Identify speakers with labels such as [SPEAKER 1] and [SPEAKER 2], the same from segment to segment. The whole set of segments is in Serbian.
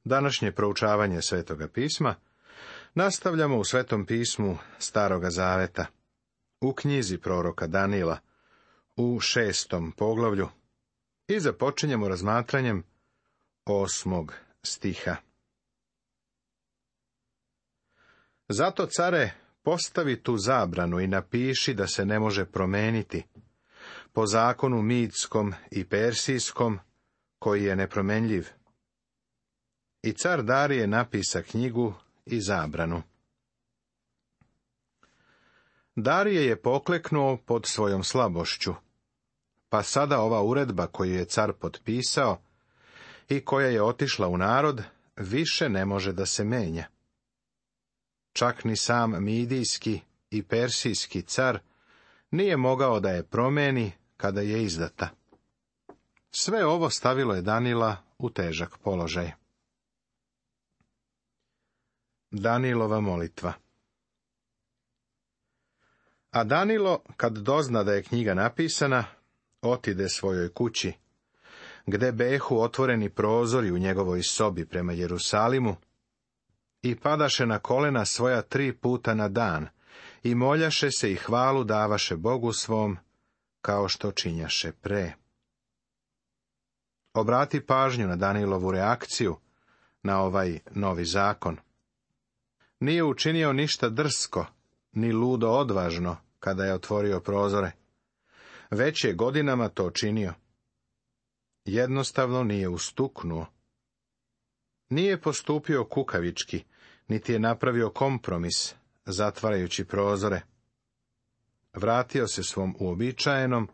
[SPEAKER 1] Današnje proučavanje Svetoga pisma nastavljamo u Svetom pismu Staroga Zaveta, u knjizi proroka Danila, u 6. poglavlju, i započinjemo razmatranjem 8. stiha. Zato, care, postavi tu zabranu i napiši da se ne može promeniti, po zakonu midskom i persijskom, koji je nepromenljiv. I car Darije napisa knjigu i zabranu. Darije je pokleknuo pod svojom slabošću, pa sada ova uredba koju je car potpisao i koja je otišla u narod, više ne može da se menja. Čak ni sam midijski i persijski car nije mogao da je promeni kada je izdata. Sve ovo stavilo je Danila u težak položaj. Danilova molitva. A Danilo, kad dozna da je knjiga napisana, otide svojoj kući, gde behu otvoreni prozori u njegovoj sobi prema Jerusalimu, i padaše na kolena svoja 3 puta na dan, i moljaše se i hvalu davaše Bogu svom, kao što činjaše pre. Obrati pažnju na Danilovu reakciju na ovaj novi zakon. Nije učinio ništa drsko, ni ludo odvažno, kada je otvorio prozore. Već je godinama to činio. Jednostavno nije ustuknuo. Nije postupio kukavički, niti je napravio kompromis, zatvarajući prozore. Vratio se svom uobičajenom,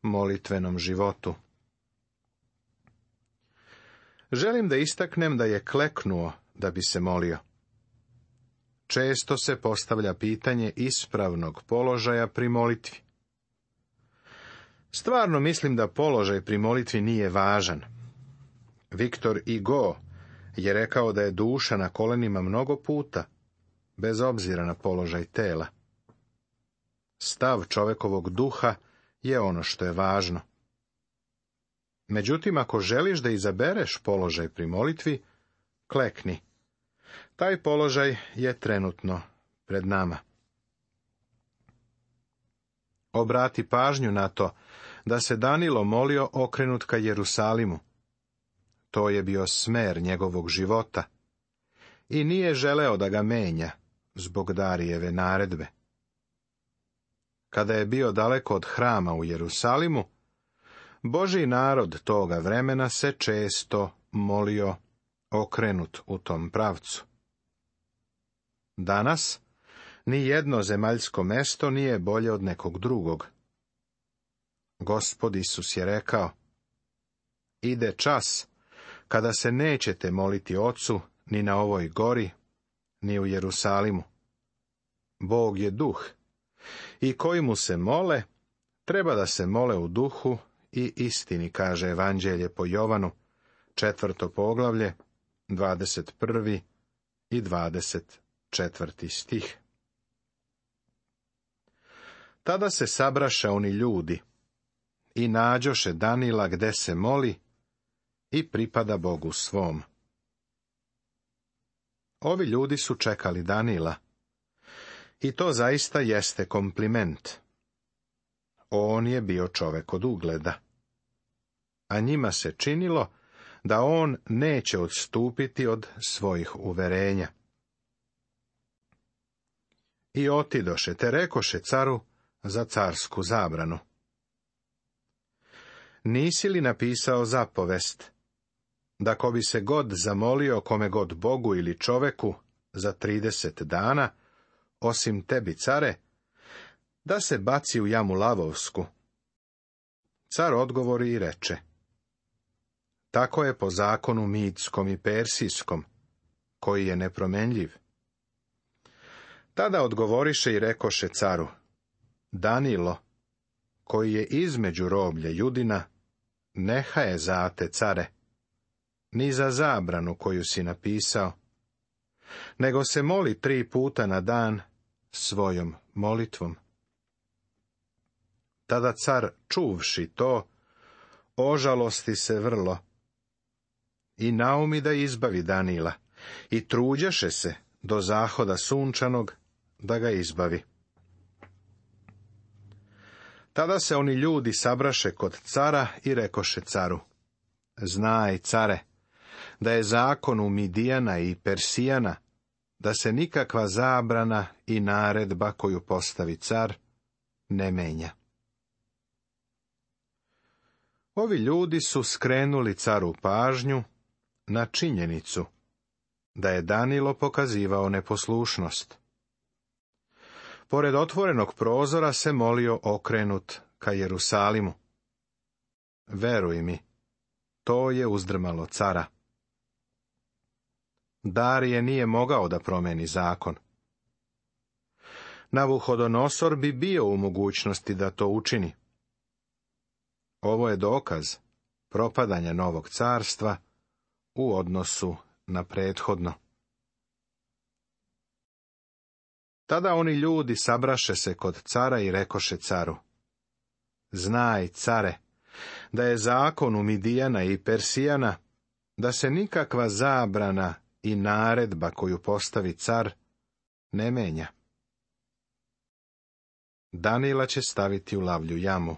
[SPEAKER 1] molitvenom životu. Želim da istaknem da je kleknuo da bi se molio. Često se postavlja pitanje ispravnog položaja pri molitvi. Stvarno mislim da položaj pri molitvi nije važan. Viktor Hugo je rekao da je duša na kolenima mnogo puta, bez obzira na položaj tela. Stav čovekovog duha je ono što je važno. Međutim, ako želiš da izabereš položaj pri molitvi, klekni. Taj položaj je trenutno pred nama. Obrati pažnju na to da se Danilo molio okrenut ka Jerusalimu. To je bio smer njegovog života i nije želeo da ga menja zbog Darijeve naredbe. Kada je bio daleko od hrama u Jerusalimu, Božji narod toga vremena se često molio okrenut u tom pravcu. Danas ni jedno zemaljsko mesto nije bolje od nekog drugog. Gospod Isus je rekao: ide čas kada se nećete moliti Ocu ni na ovoj gori, ni u Jerusalimu. Bog je duh, i koji mu se mole, treba da se mole u duhu i istini, kaže Evanđelje po Jovanu, 4. poglavlje, 21. i 24. stih. Tada se sabraše oni ljudi i nađoše Danila gde se moli i pripada Bogu svom. Ovi ljudi su čekali Danila i to zaista jeste kompliment. On je bio čovek od ugleda, a njima se činilo da on neće odstupiti od svojih uverenja. I otidoše te rekoše caru za carsku zabranu: nisi li napisao zapovest, da ko bi se god zamolio kome god Bogu ili čoveku za 30 dana, osim tebi, care, da se baci u jamu lavovsku? Car odgovori i reče: tako je po zakonu midskom i persijskom, koji je nepromenljiv. Tada odgovoriše i rekoše caru: Danilo, koji je između roblja Judina, neha je zate, care, ni za zabranu koju si napisao, nego se moli 3 puta na dan svojom molitvom. Tada car, čuvši to, ožalosti se vrlo i naumi da izbavi Danila, i truđaše se do zahoda sunčanog da ga izbavi. Tada se oni ljudi sabraše kod cara i rekoše caru: Znaj, care, da je zakon u Midijana i Persijana, da se nikakva zabrana i naredba koju postavi car ne menja. Ovi ljudi su skrenuli caru pažnju na činjenicu da je Danilo pokazivao neposlušnost. Pored otvorenog prozora se molio okrenut ka Jerusalimu. Veruj mi, to je uzdrmalo cara. Darije nije mogao da promeni zakon. Navuhodonosor bi bio u mogućnosti da to učini. Ovo je dokaz propadanja novog carstva u odnosu na prethodno. Tada oni ljudi sabraše se kod cara i rekoše caru: Znaj, care, da je zakon u Midijana i Persijana, da se nikakva zabrana i naredba koju postavi car ne menja. Danila će staviti u lavlju jamu.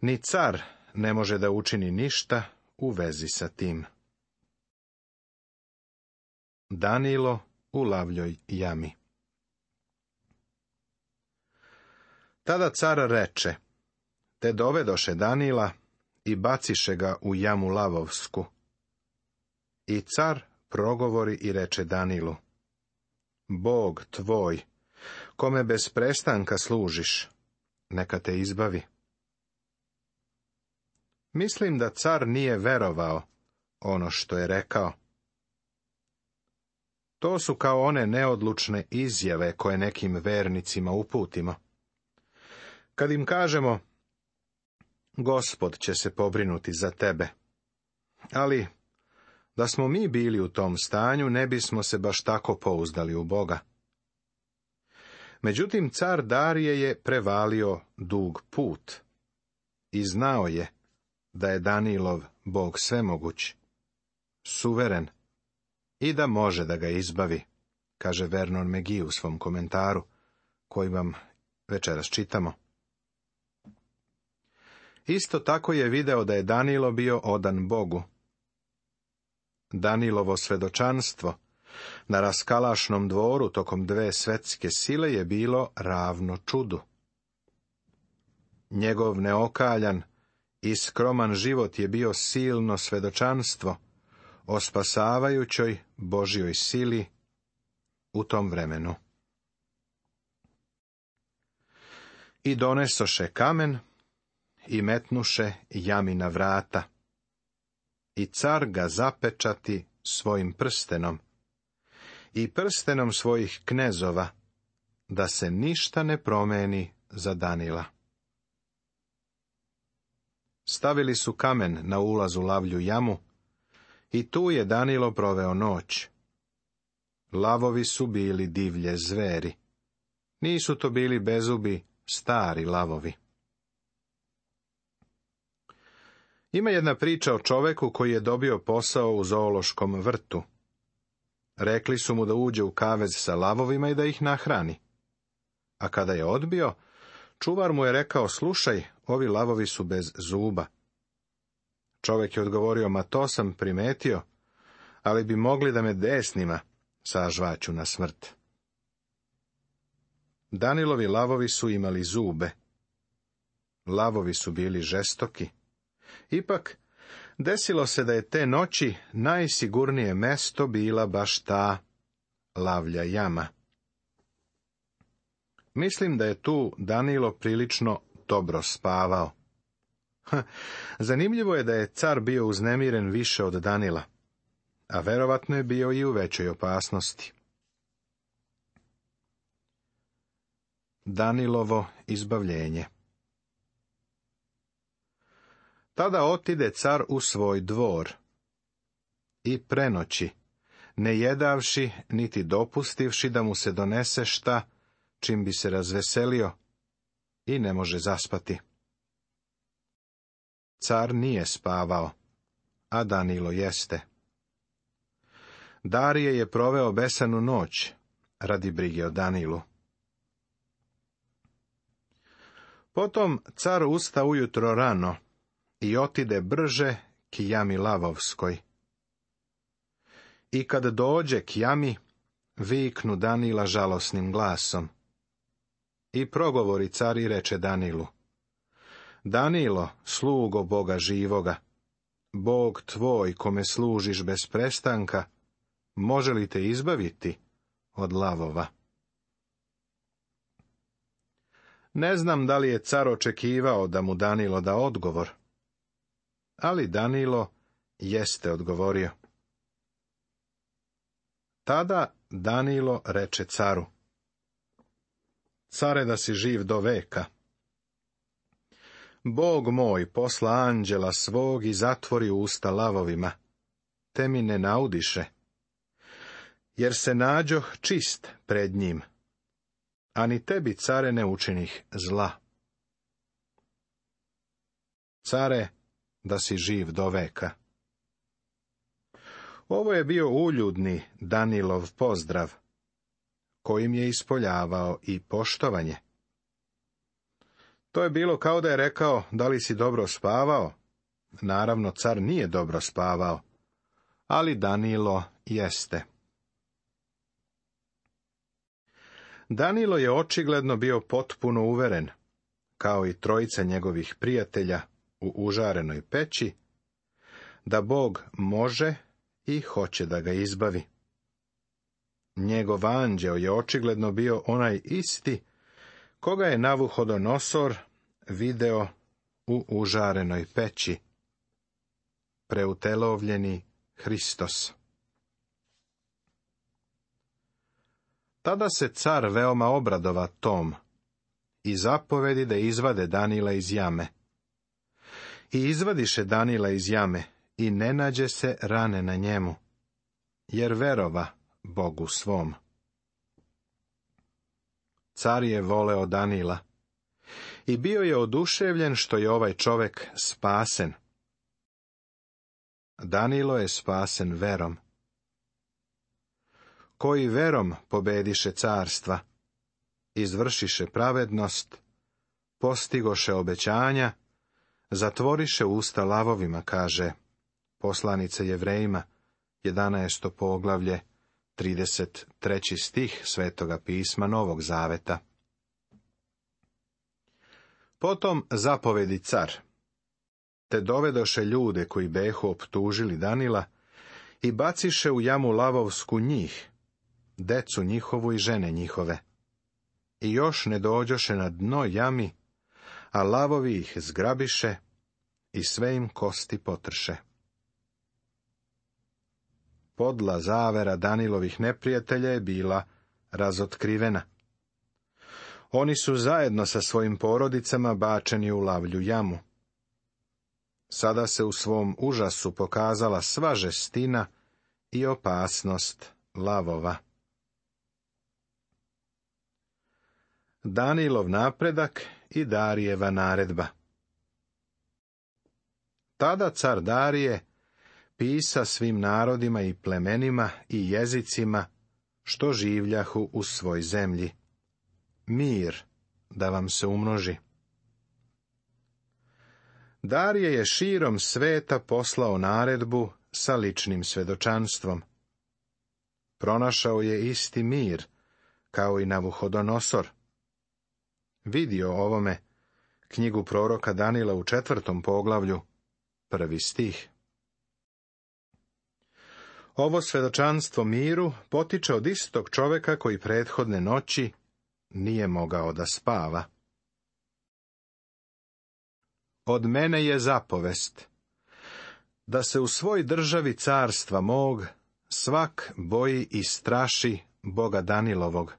[SPEAKER 1] Ni car ne može da učini ništa u vezi sa tim. Danilo u lavljoj jami. Tada car reče: Te dovedoše Danila i baciše ga u jamu lavovsku. I car progovori i reče Danilu: Bog tvoj, kome bez prestanka služiš, neka te izbavi. Mislim da car nije verovao ono što je rekao. To su kao one neodlučne izjave koje nekim vernicima uputimo. Kad im kažemo: Gospod će se pobrinuti za tebe. Ali, da smo mi bili u tom stanju, ne bismo se baš tako pouzdali u Boga. Međutim, car Darije je prevalio dug put i znao je da je Danilov Bog svemoguć, suveren i da može da ga izbavi, kaže Vernon McGee u svom komentaru, koji vam večeras čitamo. Isto tako je video da je Danilo bio odan Bogu. Danilovo svedočanstvo na raskalašnom dvoru tokom 2 svetske sile je bilo ravno čudu. Njegov neokaljan i skroman život je bio silno svedočanstvo o spasavajućoj Božjoj sili u tom vremenu. I donesoše kamen i metnuše jami na vrata. I car ga zapečati svojim prstenom i prstenom svojih knezova, da se ništa ne promeni za Danila. Stavili su kamen na ulaz u lavlju jamu i tu je Danilo proveo noć. Lavovi su bili divlje zveri. Nisu to bili bezubi, stari lavovi. Ima jedna priča o čoveku koji je dobio posao u zoološkom vrtu. Rekli su mu da uđe u kavez sa lavovima i da ih nahrani. A kada je odbio, čuvar mu je rekao: Slušaj, ovi lavovi su bez zuba. Čovek je odgovorio: Ma to sam primetio, ali bi mogli da me desnima sažvaću na smrt. Danilovi lavovi su imali zube. Lavovi su bili žestoki. Ipak, desilo se da je te noći najsigurnije mesto bila baš ta lavlja jama. Mislim da je tu Danilo prilično dobro spavao. Zanimljivo je da je car bio uznemiren više od Danila, a verovatno je bio i u većoj opasnosti. Danilovo izbavljenje. Tada otide car u svoj dvor i prenoći, ne jedavši niti dopustivši da mu se donese šta čim bi se razveselio, i ne može zaspati. Car nije spavao, a Danilo jeste. Darije je proveo besanu noć radi brige o Danilu. Potom car usta ujutro rano i otide brže k jami lavovskoj. I kad dođe k jami, viknu Danila žalosnim glasom. I progovori car i reče Danilu: Danilo, slugo Boga živoga, Bog tvoj kome služiš bez prestanka, može li te izbaviti od lavova? Ne znam da li je car očekivao da mu Danilo da odgovor, ali Danilo jeste odgovorio. Tada Danilo reče caru: Care, da si živ do veka. Bog moj posla anđela svog i zatvori usta lavovima, te mi ne naudiše, jer se nađoh čist pred njim, a ni tebi, care, ne učinih zla. Care, da si živ do veka. Ovo je bio uljudni Danilov pozdrav, kojim je ispoljavao i poštovanje. To je bilo kao da je rekao: da li si dobro spavao? Naravno, car nije dobro spavao, ali Danilo jeste. Danilo je očigledno bio potpuno uveren, kao i trojica njegovih prijatelja u užarenoj peći, da Bog može i hoće da ga izbavi. Njegov anđeo je očigledno bio onaj isti koga je Navuhodonosor video u užarenoj peći, preutelovljeni Hristos. Tada se car veoma obradova tom i zapovedi da izvade Danila iz jame. I izvadiše Danila iz jame i ne nađe se rane na njemu, jer verova Bogu svom. Car je voleo Danila i bio je oduševljen što je ovaj čovek spasen. Danilo je spasen verom. Koji verom pobediše carstva, izvršiše pravednost, postigoše obećanja, zatvoriše usta lavovima, kaže poslanica Jevrejima, 11. poglavlje, 33. stih Svetoga pisma Novog Zaveta. Potom zapovedi car, te dovedoše ljude koji behu optužili Danila i baciše u jamu lavovsku njih, decu njihovu i žene njihove. I još ne dođoše na dno jami, a lavovi ih zgrabiše i sve im kosti potrše. Podla zavera Danilovih neprijatelja je bila razotkrivena. Oni su zajedno sa svojim porodicama bačeni u lavlju jamu. Sada se u svom užasu pokazala sva žestina i opasnost lavova. Danilov napredak i Darijeva naredba. Tada car Darije pisa svim narodima i plemenima i jezicima što življahu u svoj zemlji: mir da vam se umnoži. Darije je širom sveta poslao naredbu sa ličnim svedočanstvom. Pronašao je isti mir, kao i Navuhodonosor. Vidio ovome knjigu proroka Danila u 4. poglavlju, 1. stih. Ovo svedočanstvo miru potiče od istog čoveka koji prethodne noći nije mogao da spava. Od mene je zapovest da se u svoj državi carstva mog svak boji i straši Boga Danilovog,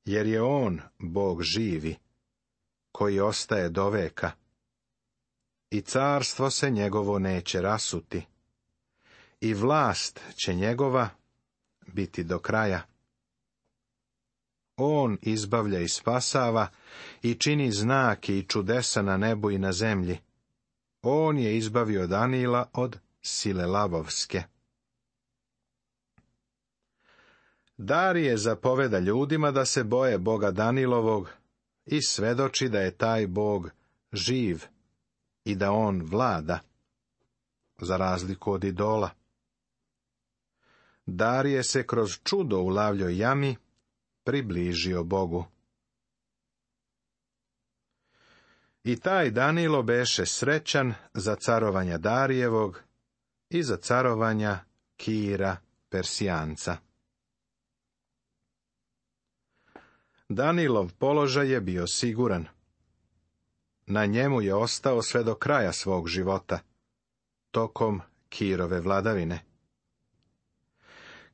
[SPEAKER 1] jer je on Bog živi, koji ostaje do veka, i carstvo se njegovo neće rasuti, i vlast će njegova biti do kraja. On izbavlja i spasava i čini znake i čudesa na nebu i na zemlji. On je izbavio Danila od sile lavovske. Darije zapoveda ljudima da se boje Boga Danilovog i svedoči da je taj Bog živ i da on vlada, za razliku od idola. Darije se kroz čudo u lavljoj jami približio Bogu. I taj Danilo beše srećan za carovanja Darijevog i za carovanja Kira Persijanca. Danilov položaj je bio siguran. Na njemu je ostao sve do kraja svog života, tokom Kirove vladavine.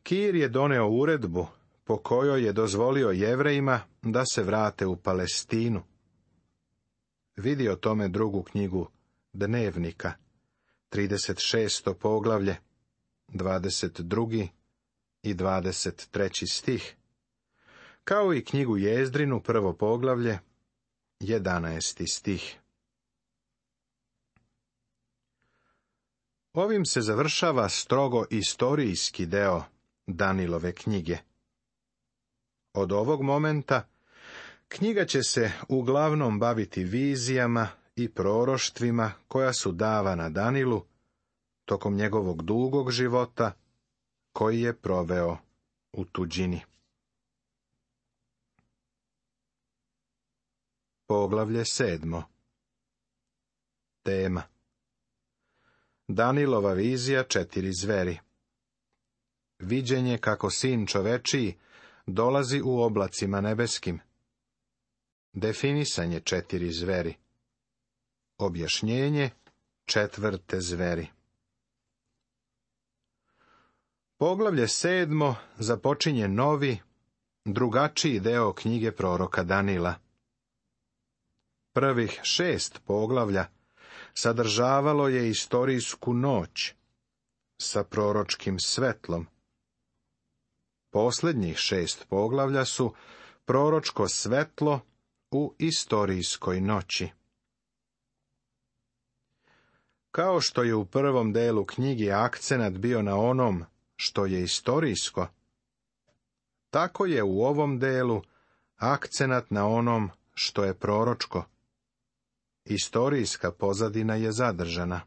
[SPEAKER 1] Kir je doneo uredbu po kojoj je dozvolio Jevrejima da se vrate u Palestinu. Vidi o tome drugu knjigu Dnevnika, 36. poglavlje, 22. i 23. stih, kao i knjigu Jezdrinu, 1. poglavlje, 11. stih. Ovim se završava strogo istorijski deo Danilove knjige. Od ovog momenta knjiga će se uglavnom baviti vizijama i proroštvima koja su davana Danilu tokom njegovog dugog života koji je proveo u tuđini. Poglavlje 7. Tema: Danilova vizija 4 zveri. Viđenje kako sin čovečiji dolazi u oblacima nebeskim. Definisanje 4 zveri. Objašnjenje 4. zveri. Poglavlje 7. započinje novi, drugačiji deo knjige proroka Danila. Prvih 6 poglavlja sadržavalo je istorijsku noć sa proročkim svetlom. Posljednjih 6 poglavlja su proročko svetlo u istorijskoj noći. Kao što je u prvom delu knjige akcenat bio na onom što je istorijsko, tako je u ovom delu akcenat na onom što je proročko. Istorijska pozadina je zadržana.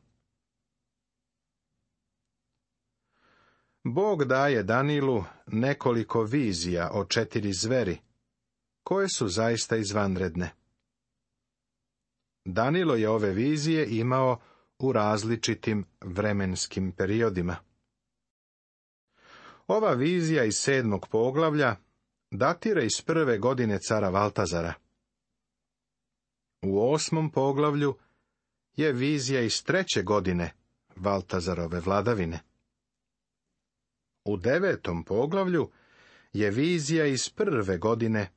[SPEAKER 1] Bog daje Danilu nekoliko vizija o 4 zveri, koje su zaista izvanredne. Danilo je ove vizije imao u različitim vremenskim periodima. Ova vizija iz 7. poglavlja datira iz 1. godine cara Valtazara. U 8. poglavlju je vizija iz 3. godine Valtazarove vladavine. U 9. poglavlju je vizija iz 1. godine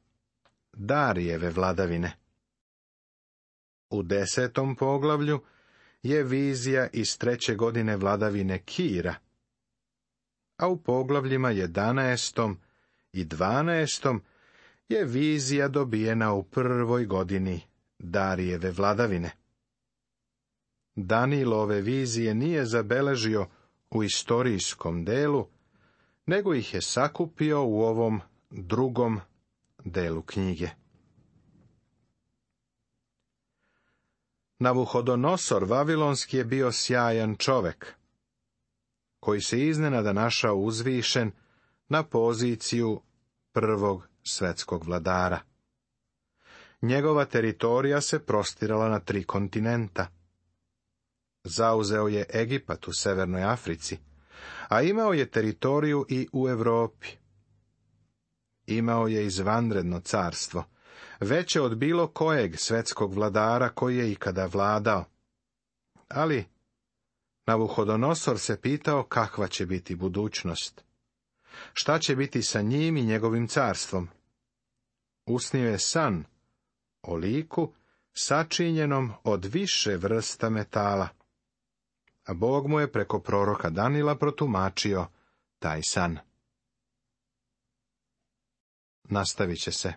[SPEAKER 1] Darijeve vladavine. U 10. poglavlju je vizija iz 3. godine vladavine Kira, a u poglavljima 11. i 12. je vizija dobijena u 1. godini Darijeve vladavine. Danilo ove vizije nije zabeležio u istorijskom delu, nego ih je sakupio u ovom drugom delu knjige. Navuhodonosor Vavilonski je bio sjajan čovek, koji se iznenada našao uzvišen na poziciju prvog svetskog vladara. Njegova teritorija se prostirala na 3 kontinenta. Zauzeo je Egipat u Severnoj Africi, a imao je teritoriju i u Europi. Imao je izvanredno carstvo, veće od bilo kojeg svetskog vladara koji je ikada vladao. Ali Navuhodonosor se pitao kakva će biti budućnost. Šta će biti sa njim i njegovim carstvom? Usnio je san o liku sačinjenom od više vrsta metala, a Bog mu je preko proroka Danila protumačio taj san. Nastavit će se.